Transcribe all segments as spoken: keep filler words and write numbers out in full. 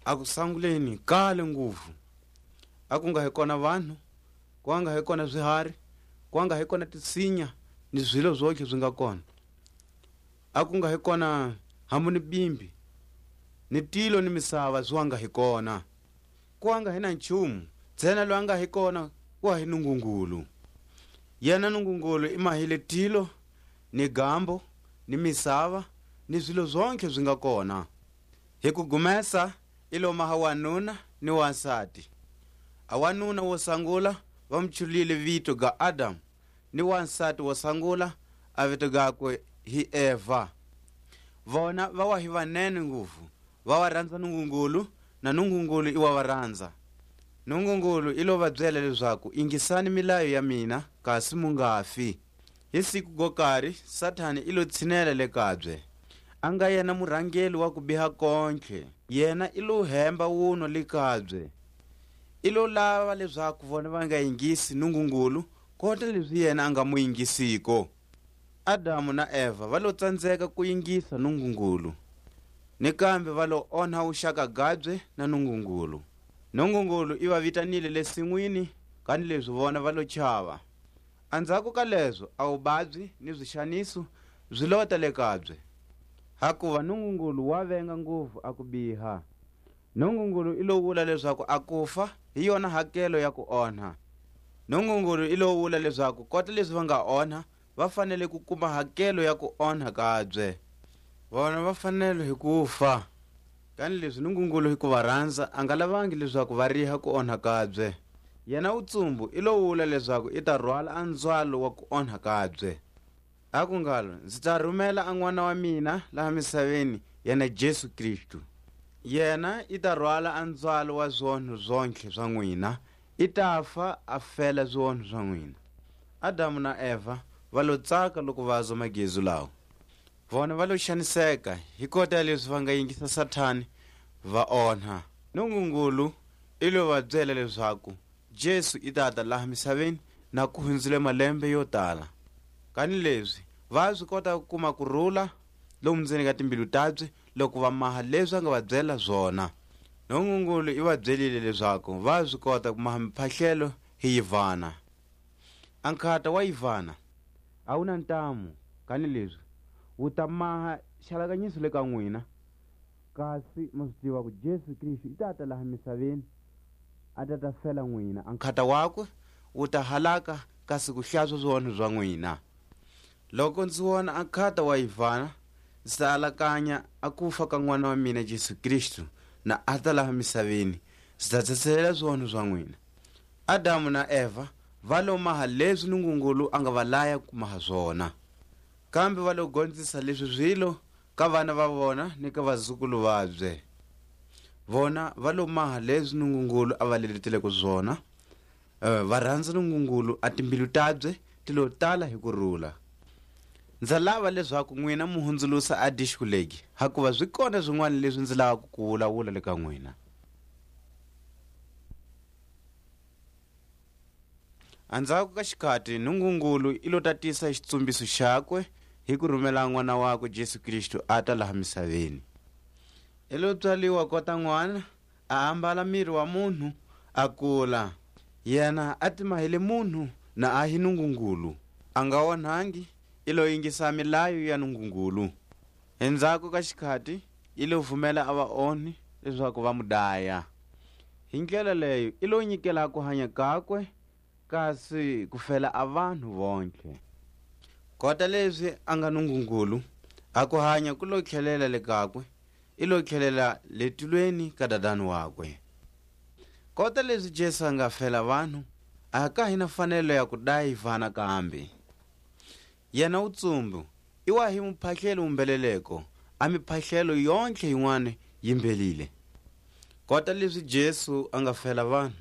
A ku sanguleni kale nguvu, a ku nga hi kona vanhu, ku nga hi kona zihari, ku nga hi kona tinsinya, ni zwilo zontlhe zi nga kona. A ku nga hi kona hambu ni bimbi, ni tilo ni misava zi wa nga hi kona. Ku wa nga hi na nchumu, ntsena loyi a nga hi kona, ku wa hi Nungungulu. Yena Nungungulu i mahile tilo, ni gambo, ni misava, ni zilo zontlhe zi nga kona. Hi ku gumesa, i lo maha wanuna ni wansati. A wanuna wo sangula va mu chulile vito ga Adamu, ni wansati wo sangula a vito gakwe hi Eva. Vona va wa hi vanene nguvu, va wa ranza Nungungulu, na Nungungulu i wa va ranza. Nungungulu i lo va byela lezaku, "Ingisani milayo ya mina, kasi mu nga fi." Hi siku go kari, Satani i lo tshinela le kabye. A nga yena murhangeli wa ku biha kontlhe, yena i lo hemba wunwa le kabye. I lo lava lezaku vona va nga yingisi Nungungulu, kota lezi yena a nga mu yingisiko. Adamu na Eva va lo tsanzeka ku yingisa Nungungulu, ni kambe va lo onha wuxaka gabye na Nungungulu. Nungungulu i va vitanile le sinwini, kanilezi vona va lo chava. Anzhako ka lezo, a wubabyi ni zixaniso zi lota le kabye, hakuva Nungungulu wa venga nguvu a ku biha. Nungungulu i lo wula lezaku a kufa hi yona hakelo ya ku onha. Nungungulu i lo wula lezaku kota lezi va nga onha, va fanele ku kuma hakelo ya ku onha kabye. Vona va fanele hi kufa. Kanilezi Nungungulu hi ku va ranza, a nga lavangi lezaku va riha ku onha kabye. Yena wutsumbu i lo wula lezaku i ta rwala a nzwalo wa ku onha kabye. Aku ngalo, "Nzi ta rumela a N'wana wa mina laha misaveni, yena Jesu Kristu. Yena i ta rwala a nzwalo wa zonho zontlhe za n'wina, i ta fa a fela zonho za n'wina." Adamu na Eva va lo tsaka loko va zwa magezu lawo. Vona va lo xaniseka hi kota ya leswi va nga yingisa Satani, va onha. Nungungulu i lo va byela leswaku Jesu i ta ta laha misaveni na ku hunzile malembe yo tala. Kanilezi va swi kota ku kuma kurula lomu ndzeni ka timbilu tabye, loko va maha leswi a nga va byela zona. Nungungulu i va byelile leswaku va swi kota ku maha miphahlelo hi yivana. A nkhata wa yivana a wu na ntamu, kanilezi wu ta maha xalakanyiso le ka n'wina. Kasi ma swi tiva ku Jesu Kristu i ta ta laha misaveni, a ta ta fela n'wina. A nkhata wakwe wu ta halaka, kasi ku hlatswa zionho za n'wina. Loko nzi wona a nkhata wa yivana, nzi ta alakanya a kufa ka N'wana wa mina Jesu Kristu, na a ta laha misaveni, nzi ta tsetselela zionho za n'wina. Adamu na Eva va lo maha lezi Nungungulu a nga va laya ku maha zona. Kambe va lo gonzisa lezi zilo ka vana va vona ni ka vazukulu vabye. Vona va lo maha lezi Nungungulu a va leleteleko zona, eh, va ranza Nungungulu, a timbilu tabye ti lo tala hi kurula. Nza lava lezaku n'wina mu hunzulusa a dixiko legi, hakuva zi kona zin'wana lezi nzi lavaka ku wulawula le ka n'wina. Andzhaku ka xikhati, Nungungulu i lo tatisa xitsumbiso xakwe hi ku rumela N'wana wakwe Jesu Kristu a ta laha misaveni. I lo tswaliwa kota n'wana, a ambala miri wa munhu, a kula. Yena a ti mahele munhu, na a hi Nungungulu. A nga onhangi, i lo yingisa milayo ya Nungungulu. Endzhaku ka xikhati, i lo vumela a vaonhi leswaku va mu daya. Hi ndlela leyo, i lo nyikela ku hanya kakwe, kasi ku fela a vanhu vontlhe. Kota lezi a nga Nungungulu, a ku hanya ku lo tlhelela le kakwe, i lo tlhelela le tilweni ka dadani wakwe. Kota lezi Jesu a nga fela vanhu, a ka hi na fanelo ya ku daya vana kambe. Yena wutsumbu, i wa hi muphahlelo wu mbheleleko, a miphahlelo yontlhe yin'wana yi mbhelile. Kota lezi Jesu a nga fela vanhu,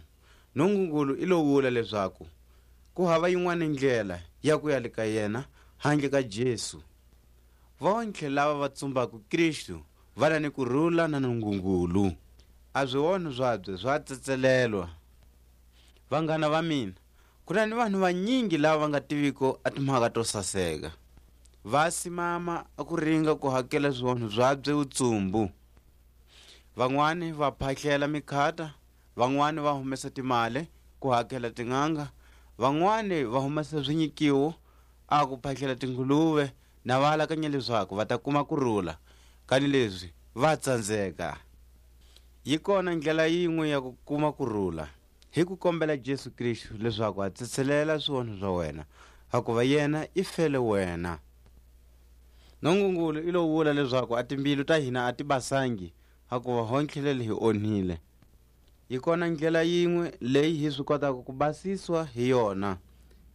Nungungulu i lo wula lezaku ku hava yin'wana ndlela ya ku ya le ka yena handle ka Jesu. Vontlhe lava va tsumbako Kristu va na ni kurula na Nungungulu. A zionho zabye za tsetselelwa. Vanghana va mina, ku na ni vanhu vanyingi lava va nga tiviko a timhaka to saseka. Va simama a ku ringa ku hakela zionho zabye wutsumbu. Van'wani va phahlela mikhata, van'wani va humesa timali ku hakela tin'anga, van'wani va humesa zinyikiwo, a ku phahlela tinguluve, na va alakanya leswaku va ta kuma kurula, kanilezi va tsanzeka. Yi kona ndlela yin'we ya ku kuma kurula, hi ku kombela Jesu Kristu leswaku a tsetselela swionho swa wena, hakuva yena i fele wena. Nungungulu i lo wula leswaku a timbilu ta hina a ti basangi, hakuva hontlhelele hi onhile. Yi kona ndlela yin'we leyi hi swi kotaka ku basiswa hi yona,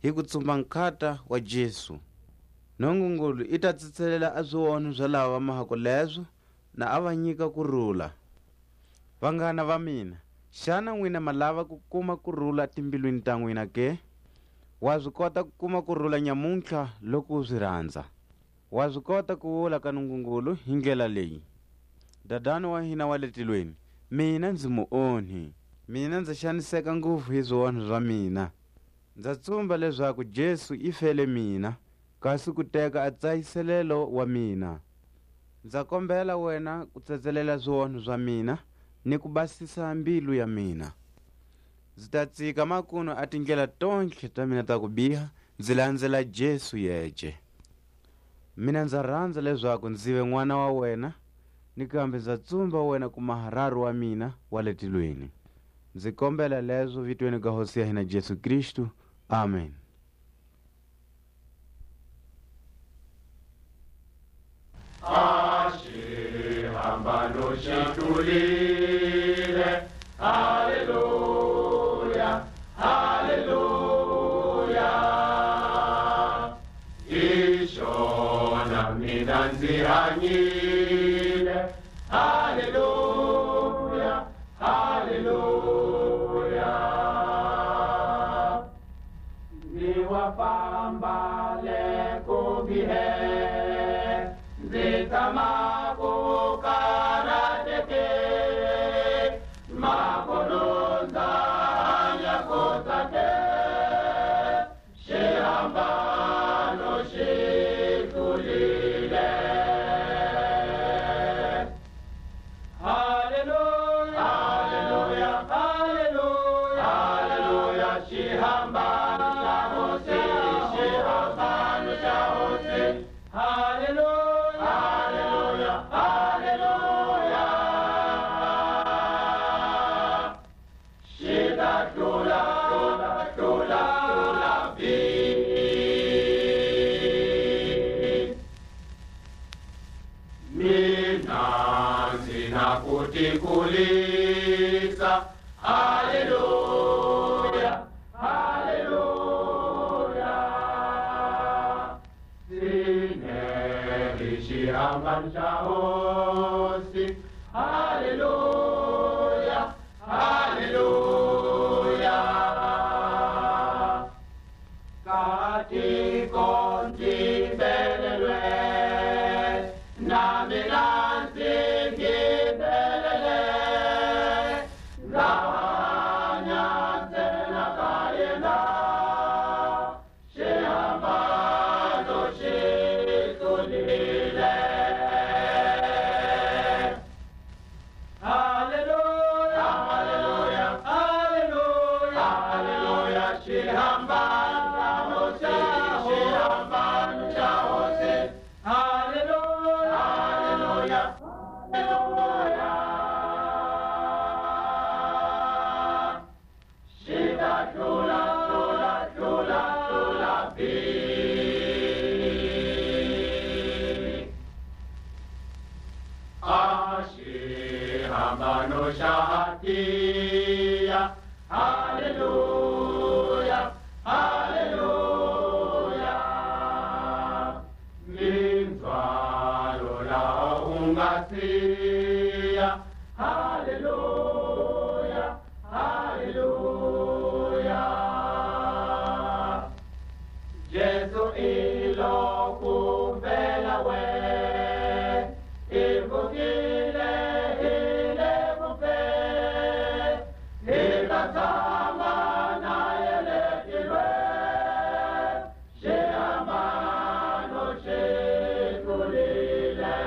hi ku tsumba nkhata wa Jesu. Nungungulu i ta tsetselela a zwionho za lava va mahako lezo, na a va nyika kurula. Vanghana va mina, xana nwina ma lava ku kuma kurula timbilwini ta nwina ke? Wa zi kota ku kuma kurula nyamuntlha loko u zi ranza. Wa zi kota ku wula ka Nungungulu hi ndlela leyi: Dadani wa hina wa le tilweni, mina nzi mu onhi. Mina nza xaniseka nguvu hi zionho za mina. Nza tsumba lezaku Jesu i fele mina, kasi ku teka a tsayiselelo wa mina. Nza kombela wena ku tsetselela zionho za mina ni ku basisa mbilu ya mina. Nzi ta tsika makunu a tindlela tontlhe ta mina ta kubiha, nzi lanzela Jesu yece. Mina nza ranza lezaku nzi ve n'wana wa wena, ni kambe nza tsumba wena ku maha raru wa mina wa le tilweni. Nzi kombela lezo vitweni ga Hosi ya hina Jesu Kristu. Amen. A xihambano xi tlulile. Haleluya, haleluya. Hi xona mina nzi hanyile. Haleluya, haleluya. Nzi wa famba le ku bihe, nzi tshama ku karateke, makunu nza hanya ku tsake, xihambano xi tlulile. Haleluya, haleluya, haleluya, haleluya, xihambano xa Hosi, xihambano xa Hosi. Haleluya, haleluya, haleluya. Xi ta tlula, tlula, tlula, tlula vi. Mina nzi na ku tikulisa. Haleluya, haleluya. Sine hi xihambano xa Hosi. Haleluya, haleluya. Ka tiko nzi belelwe, na mina nzi belele, nza hanya ntsena ka yena. Xihambano xi tlulile. Haleluya, haleluya, haleluya, haleluya. Xihambano xa Hosi, xihambano xa Hosi. Haleluya, haleluya, haleluya. Xi ta tlula, tlula, tlula, tlula vi. A xihambano xa ha tiya. Haleluya, haleluya. Mindzwalo laha u nga siya. Haleluya, haleluya. Jesu i lo ku fela we, i vukile hi le ku fe, hi ta tshama na ye le tilwe. Xihambano xi tlulile.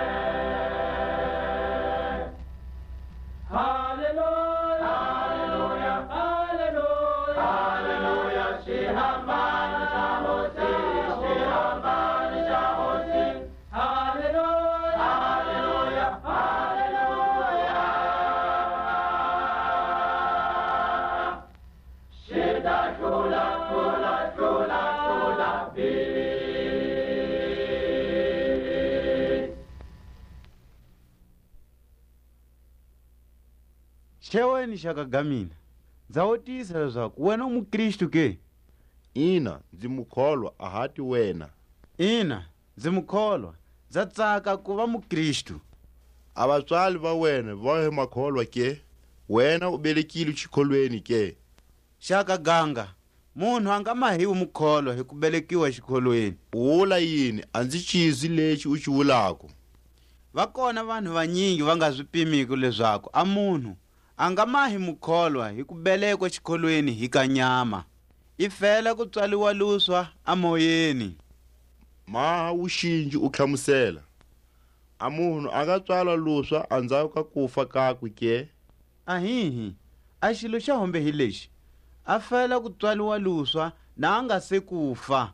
Cheweni, xaka ga mina, nza wutisa lezaku wena u muKristu ke? Ina, nzi mukholwa, a hati wena. Ina, nzi mukholwa, nza tsaka ku va muKristu. A vatswali va wena va hi makholwa ke? Wena u belekilwe xikholweni ke? Xaka ganga, munhu a nga mahiwi mukholwa hi ku belekiwa xikholweni. U wula yini? A nzi xizwi lexi u xi wulako. Va kona vanhu vanyingi va nga zi pimiko lezaku a munhu a nga mahi mukholwa hi ku belekwa xikholweni hi ka nyama, i fela ku tswaliwa luswa a moyeni. Maha wuxinji u tlhamusela, a munhu a nga tswalwa luswa anzhako ka kufa kakwe ke? Ahihi, a xilo xa hombe hi lexi, a fela ku tswaliwa luswa na a nga se kufa.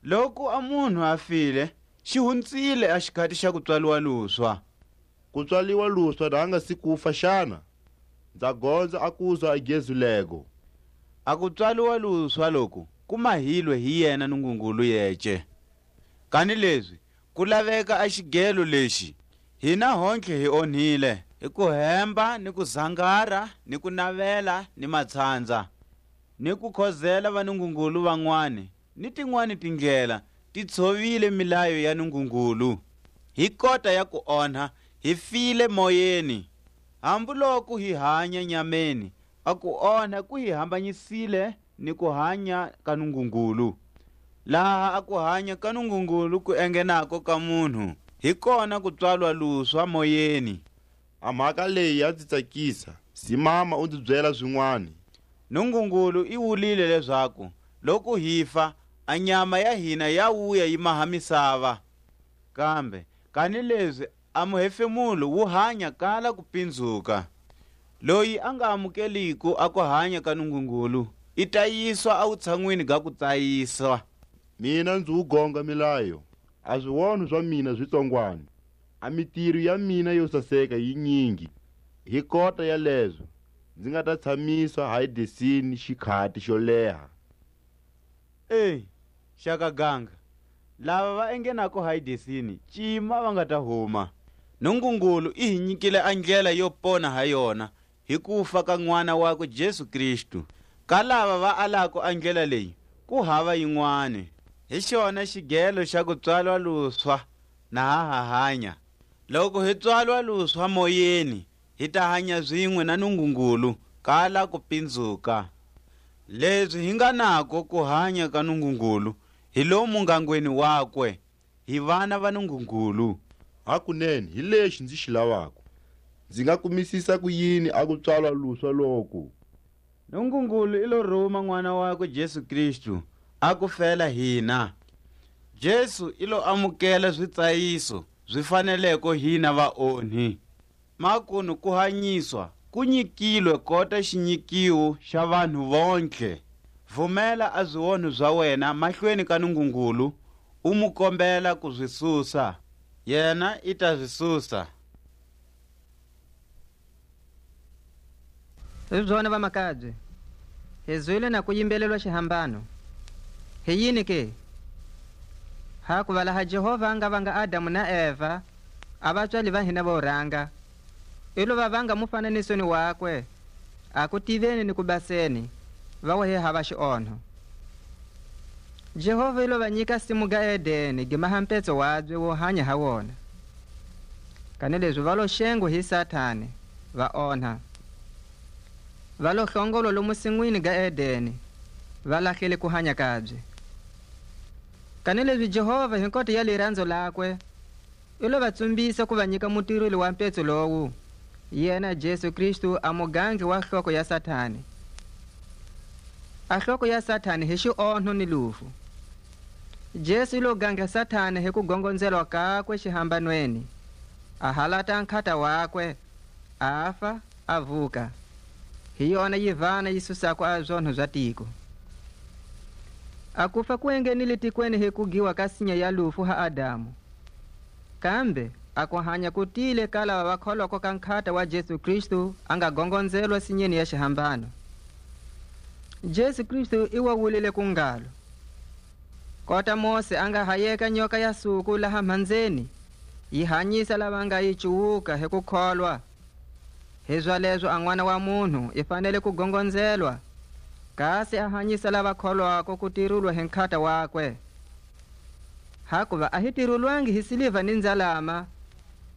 Loku a munhu a file, xi hunzile a xikhati xa ku tswaliwa luswa. Ku tswaliwa luswa na a nga si kufa xana? Nza gonza a kuzwa a gezu lego. A ku tswaliwa luswa loku ku mahilwe hi yena Nungungulu yece. Kanilezi ku laveka a xigelo lexi, hina hontlhe hi onhile, hi ku hemba, ni ku zangara, ni ku navela, ni matshandza, ni ku khozela vanungungulu vanwani, ni tinwani tindlela ti tshovile milayo ya Nungungulu. Hi kota ya ku onha, hi file moyeni. Hambu loku hi hanya nyameni, a ku onha ku hi hambanyisile ni ku hanya ka Nungungulu. Laha a ku hanya ka Nungungulu ku engenako ka munhu, hi kona ku tswalwa luswa moyeni. A mhaka leyi ya nzi tsakisa, simama u nzi byela zinwani. Nungungulu i wulile lezaku loku hi fa, a nyama ya hina ya wuya yi maha misava. Kambe kanilezi a muhefemulo wu hanya kala ku pinzuka. Loyi a nga amukeliko a kuhanya ka Nungungulu, i ta yiswa a wutshanwini ga kutsayiswa. Mina nzi wu gonga milayo, a zionho za mina zi tsongwani, a mitiro ya mina yo saseka yi nyingi. Hi kota ya lezo, nzi nga ta tshamisa Hadesini xikhati xo leha. E, xaka ganga, lava va engenako Hadesini, cima va nga ta huma. Nungungulu i hi nyikile a ndlela yo pona ha yona, hi kufa ka N'wana wakwe Jesu Kristu. Ka lava va alako a ndlela leyi, ku hava yinwani. Hi xona xigelo xa kutswalwa luswa na ha ha hanya. Loku hi tswalwa luswa moyeni, hi ta hanya zinwe na Nungungulu, kala ku pinzuka. Lezi hi nga nako ku hanya ka Nungungulu, hi lomu ngangweni wakwe, hi vana va Nungungulu. Hakunene, hi lexi nzi xi lavako. Nzi nga kumisisa ku yini a kutswalwa luswa loku? Nungungulu i lo ruma N'wana wakwe Jesu Kristu, a ku fela hina. Jesu i lo amukela zitsayiso zi faneleko hina vaonhi. Makunu ku hanyiswa ku nyikilwe kota xinyikiwo xa vanhu vontlhe. Vumela a zionho za wena mahlweni ka Nungungulu, u mu kombela ku zi susa. Yena i ta zi susa. Hi zona, vamakabye, hi zwile na ku yimbelelwa xihambano. Hi yini ke? Hakuva laha Jehovha a nga vanga Adamu na Eva, a vatswali va hina vo ranga, i lo va vanga mufananisweni wakwe, a ku tiveni ni ku baseni, va wa hi hava xionho. Jehovha i lo va nyika simu ga Edeni, gi maha mpetso wabye wo hanya ha wona. Kanilezi va lo xengwa hi Satani, va onha. Va lo hlongolwa lomu sinwini ga Edeni, va lahlile ku hanya kabye. Kanilezi Jehovha, hi kota ya liranzo lakwe, i lo va tsumbisa ku va nyika mutireli wa mpetso lowu, yena Jesu Kristu, a mugangi wa hloko ya Satani. A hloko ya Satani hi xionho ni lufu. Jesu i lo gange Satani hi ku gongonzelwa kakwe xihambanweni, a halata nkhata wakwe, a fa, a vuka. Hi yona yivana yi susako a zonho za tiko. A kufa ku engenile tikweni hi ku giwa ka sinya ya lufu ha Adamu. Kambe a kuhanya ku tile ka lava va kholwako ka nkhata wa Jesu Kristu a nga gongonzelwa sinyeni ya xihambano. Jesu Kristu i wa wulile ku ngalo: Kota Mose a nga hayeka nyoka ya suku laha mhanzeni, yi hanyisa lava nga yi cuwuka hi ku kholwa, Hizalezo a N'wana wa munhu i fanele ku gongonzelwa, kasi a hanyisa lava kholwako ku tirulwa hi nkhata wakwe. Hakuva a hi tirulwangi hi siliva ni nzalama,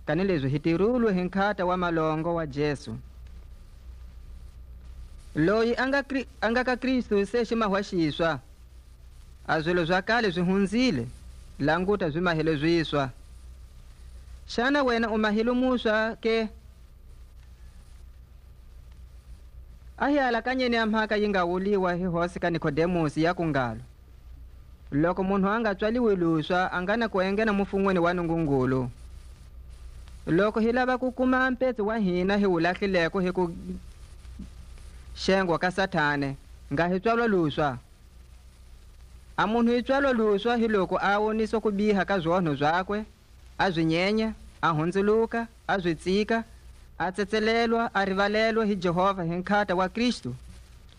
kanilezi hi tirulwe hi nkhata wa malongo wa Jesu. Loyi a nga, Kri- a nga ka Kristu se xi mahwa xiswa, a zilo za kale zi hunzile, languta, zi mahile ziswa. Xana wena u mahile muswa ke? A hi alakanyeni a mhaka yi nga wuliwa hi hosi ka Nikodemusi, ya ku ngalo: Loko munhu a nga tswaliwi luswa, a nga na ku enghena mufunweni wa Nungungulu. Loko hi lava ku kuma mpetsi wa hina hi wu lahlileko hi ku xengwa ka Satane, nga hi tswalwa luswa. A munhu i tswalwa luswa hi loko a woniswa ku biha ka zonho zakwe, a zi nyenya, a hunzuluka, a zi tsika, a tsetselelwa, a rivalelwa hi Jehovha hi nkhata wa Kristu,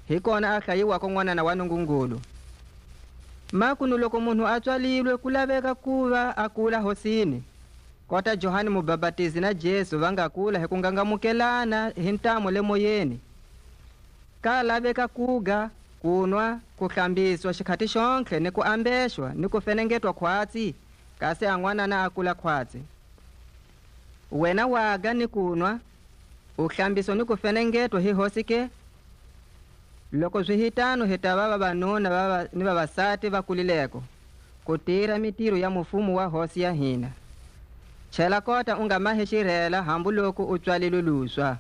hi kona a hlayiwako n'wanana wa Nungungulu. Makunu loko munhu a tswalilwe, ku laveka ku va a kula Hosini, kota Johani Mubapatizi na Jesu va nga kula hi ku ngangamukelana hi ntamu le moyeni. Ka laveka kuga, kunwa, ku hlambiswa xikhati xontlhe, ni ku ambexwa, ni ku fenengetwa khwatsi, kasi a n'wanana a kula khwatsi. Wena waga ni kunwa, u hlambiswa ni ku fenengetwa hi Hosi ke? Loku zi hi tano, hi tava vavanuna va va- ni vavasati va kulileko, ku tira mitiro ya mufumo wa Hosi ya hina. Chela kota u nga mahe xirela hambu loku u tswalilwe luswa.